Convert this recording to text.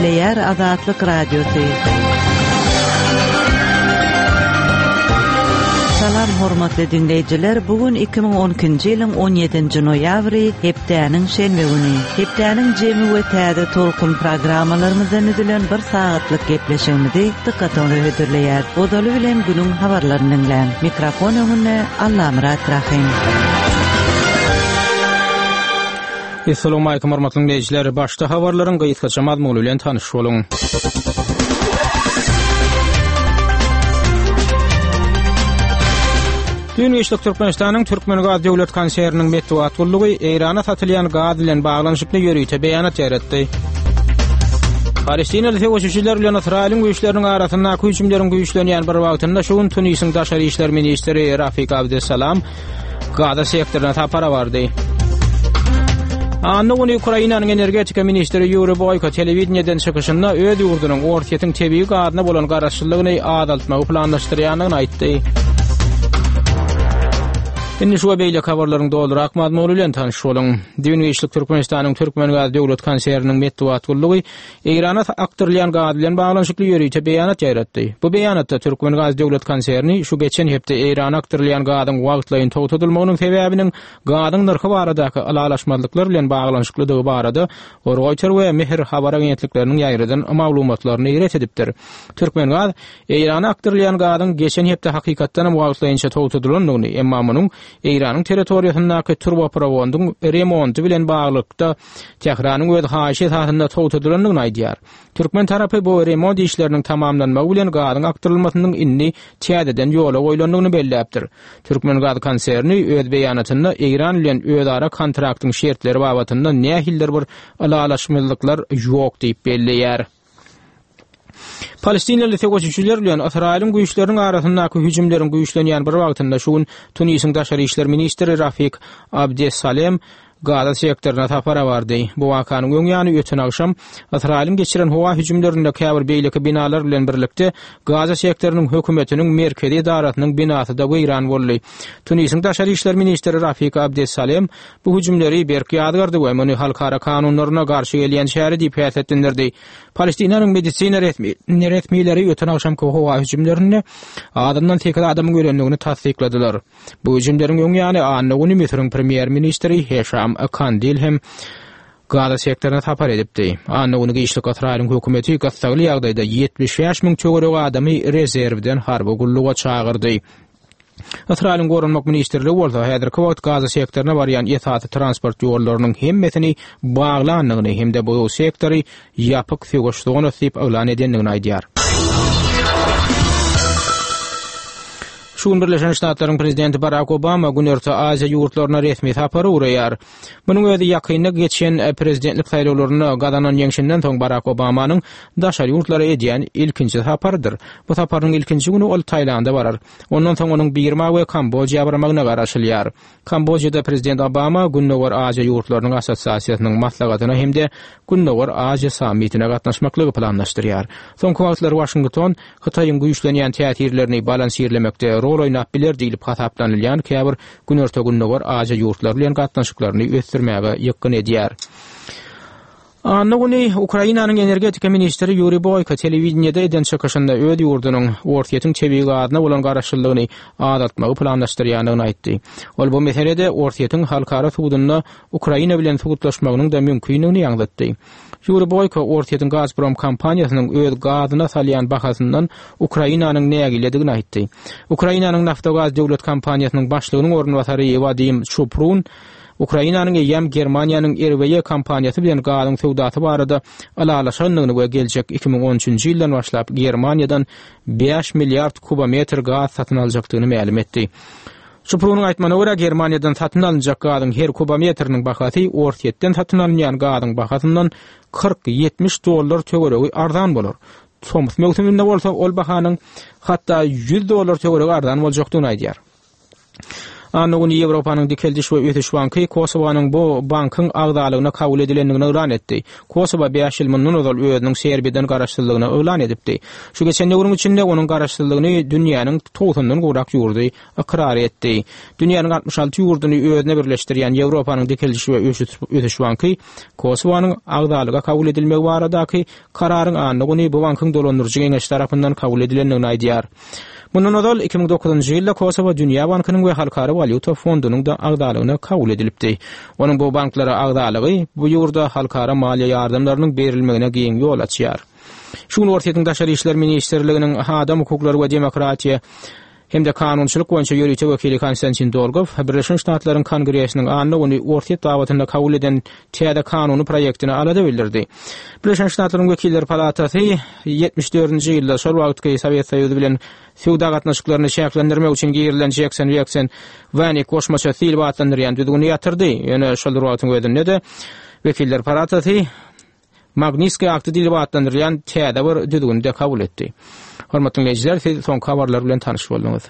Gepleýär Azatlyk Radiosy. Salam hormatly diňleýjiler, bu gün 2012-nji ýylyň 17-nji noýabry, hepdäniň şenbe güni. Hepdäniň jemi we täze tolkun programmalarymyzdan düzülen bir sagatlyk gepleşigimizi dykgatyňyza hödürleýär. Ozaly bilen günüň habarlaryny diňläň. Mikrofon öňünde Allamyrat Rahym. Essalawmalikim hormatly diňleýjiler! Başda habarlaryň gysgaça mazmuny bilen tanyş boluň. Düýn giçlik Türkmenistanyň Türkmengaz döwlet konserniniň metbugat gullugy Eýrana satylýan gaz bilen baglanyşykly ýörite beýanat ýaýratdy. Palestinaly söweşijiler bilen Ysraýylyň güýçleriniň arasyndaky hüjümleriň güýçlenýän bir wagtynda şu gün Tunisiň daşary işler ministri Rafik Abdessalam Gaza sektoryna sapara bardy. Anna güni Ukrainanyň energetika ministri Ýuri Boýko telewideniýeden çykyşynda öz ýurdunyň Orsýetiň tebigy gazyna bolan garaşlylygyny azaltmagy planlaşdyrýandygyny aýtdy. Indi şu we beýleki habarlaryň dolurak mazmuny bilen tanyş boluň. Düýn giçlik Türkmenistanyň Türkmengaz döwlet konserniniň metbugat gullugy Eýrana akdyrylýan gaz bilen baglanyşykly ýörite beýanat ýaýratdy. Bu beýanatda Türkmengaz döwlet konserni şu geçen hepde Eýrana akdyrylýan gazyň wagtlaýyn togtadylmagynyň sebäbiniň gazyň nyrhy baradaky ylalaşmazlyklar bilen baglanyşyklydygy barada Roýter we Mehr habar agentlikleriniň ýaýradan maglumatlaryny ret edipdir. Türkmengaz Eýrana akdyrylýan gazyň geçen hepde hakykatdanam wagtlaýynça togtadylandygyny, emma munuň Eýranyň territoriýasyndaky turbaprowodyň remonty bilen baglylykda Tähranyň öz haýyşy esasynda togtadylandygyny aýdýar. Türkmen tarapy bu remont işleriniň tamamlanmagy bilen gazyň akdyrylmasynyň indi täzeden ýola goýlandygyny belläpdir. Türkmengaz konserni öz beýanatynda Eýran bilen özara kontraktyň şertleri babatynda nähilidir bir ylalaşmazlyklar ýok diýip belleýär. Palestinaly söweşijiler bilen Ysraýylyň güýçleriniň arasyndaky hüjümleriň güýçlenýän bir wagtynda şu gün Tunisiň daşary işler ministri Rafik Abdessalem Gaza sektoryna sapara bardy. Bu wakanyň öň ýany öten agşam Ysraýylyň geçiren howa hüjümlerinde käbir beýleki binalar bilen birlikde Gaza sektorynyň hökümetiniň merkezi edarasynyň binasy-da weýran boldy. Tunisiň daşary işler ministri Rafik Abdessalem bu hüjümleri berk ýazgardy we muny halkara kanunlaryna garşy gelýän çäre diýip häsiýetlendirdi. Palestinanyň medisina resmileri öten agşamky howa hüjümlerinde azyndan sekiz adamyň ölendigini tassykladylar. Bu hüjümleriň öň ýany anna güni Müsüriň premýer-ministri Heşam Kandil hem Gaza sektoryna sapar edipdi. Anna güni giçlik Ysraýylyň hökümeti gyssagly ýagdaýda 75 müň töweregi adamy rezerwden harby gulluga çagyrdy. Ysraýylyň Goranmak ministrligi bolsa häzirki wagt Gaza sektoryna barýan esasy transport ýollarynyň hemmesini baglandygyny hem-de bu sektory ýapyk söweş zonasy diýip yglan edendigini aýdýar. Şu gün Birleşen Ştatlaryň prezidenti Barak Obama Günorta Aziýa ýurtlaryna resmi sapara ugraýar. Munuň özi ýakynda geçen prezidentlik saýlawlarynda gazanan ýeňşinden soň Barak Obamanyň daşary ýurtlara edýän ilkinji saparydyr. Bu saparynyň ilkinji güni ol Taýlanda barar. Ondan soň onuň Birma we Kambojiýa barmagyna garaşylýar. Kambojiýada prezident Obama Gündogar Aziýa ýurtlarynyň assosiasiýasynyň maslahatyna hem-de Gündogar Aziýa sammitine gatnaşmaklygy planlaşdyrýar. Soňky wagtlar Waşington Hytaýyň güýçlenýän täsirlerini balansirlemekde rol oýnap biler diýlip hasaplanylýan käbir Günorta-Gündogar Aziýa ýurtlary bilen gatnaşyklaryny ösdürmäge ýykgyn edýär. Anna güni Ukrainanyň energetika ministri Ýuriý Boýko telewideniýede eden çykyşynda öz ýurdunyň Orsýetiň tebigy gazyna bolan garaşlylygyny azaltmagy planlaşdyrýandygyny aýtdy. Ol bu meselede Orsýetiň halkara sudunda Ukraina bilen sudlaşmagynyň-da mümkindigini ýaňzytdy. Ýuriý Boýko Orsýetiň Gazprom kompaniýasynyň öz gazyna salýan bahasyndan Ukrainanyň nägiledigini aýtdy. Ukrainanyň Naftogaz döwlet kompaniýasynyň başlygynyň orunbasary Wadim Çuprun Ukrainanyň eýýäm Germaniýanyň RWE kompaniýasy bilen gazyň söwdasy barada ylalaşandygyny we geljek 2013-nji ýyldan başlap Germaniýadan bäş milliard kubometr gaz satyn aljakdygyny mälim etdi. Çuprunyň aýtmagyna görä, Germaniýadan satyn alynjak gazyň her kubometriniň bahasy Orsýetden satyn alynýan gazyň bahasyndan 40-70 dollar töweregi arzan bolar. Tomus möwsüminde bolsa ol bahanyň hatda 100 dollar töweregi arzan boljakdygyny aýdýar. Anna güni Ýewropanyň Dikeldiş we ösüş banky Kosowanyň bu bankyň agzalygyna kabul edilendigini yglan etdi. Kosowa bäş ýyl mundan ozal özüniň Serbiýadan garaşsyzlygyny yglan edipdi. Şu geçen döwrüň içinde onuň garaşsyzlygyny dünýäniň togsandan gowrak ýurdy ykrar etdi. Dünýäniň 66 ýurduny özüne birleşdirýän Ýewropanyň Dikeldiş we ösüş banky Kosowanyň agzalyga kabul edilmegi baradaky kararyň anna güni bu bankyň dolandyryjy geňeşi tarapyndan kabul edilendigini aýdýar. Mundan ozal, 2009-njy ýylda Kosowo Dünýä bankynyň we Halkara walýuta fondunyň-da agzalygyna kabul edilipdi. Onuň bu banklara agzalygy bu ýurda halkara maliýe ýardamlarynyň berilmegine giň ýol açýar. Şu gün Orsýetiň Daşary işler ministrliginiň adam hukuklary we demokratiýa hem-de kanunçylyk boýunça ýörite wekili Konstantin Dolgow Birleşen Ştatlaryň Kongresiniň anna güni Orsýet babatynda kabul eden täze kanuny proýektine alada bildirdi. Birleşen Ştatlaryň Wekiller palatasy 74-nji ýylda şol wagtky Sowet Soýuzy bilen söwda gatnaşyklaryny çäklendirmek üçin girizilen Jekson-Weksen-Wanik goşmaçasy diýlip atlandyrýan düzgüni ýatyrdy. Ýöne şol bir wagtyň özünde-de Wekiller palatasy Magnitskiý akty diýlip atlandyrylýan täze bir düzgüni-de kabul etdi. Hormatly diňleýjiler, siz soňky habarlar bilen tanyş bolduňyz.